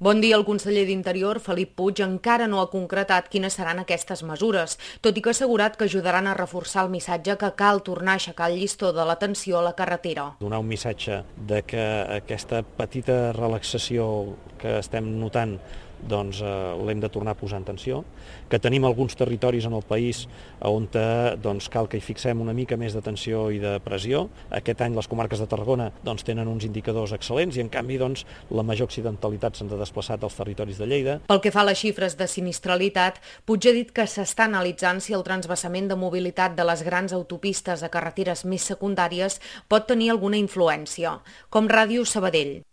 Bon dia. El conseller d'Interior, Felip Puig, encara no ha concretat quines seran aquestes mesures, tot i que ha assegurat que ajudaran a reforçar el missatge que cal tornar a aixecar el llistó de l'atenció a la carretera. Donar un missatge de que aquesta petita relaxació que estem notant l'hem de tornar a posar en tensió, que tenim alguns territoris en el país on cal que hi fixem una mica més d'atenció i de pressió. Aquest any les comarques de Tarragona tenen uns indicadors excel·lents i en canvi la major accidentalitat se'ns ha desplaçat als territoris de Lleida. Pel que fa a les xifres de sinistralitat, Puig ha dit que s'està analitzant si el transvasament de mobilitat de les grans autopistes a carreteres més secundàries pot tenir alguna influència, com Ràdio Sabadell.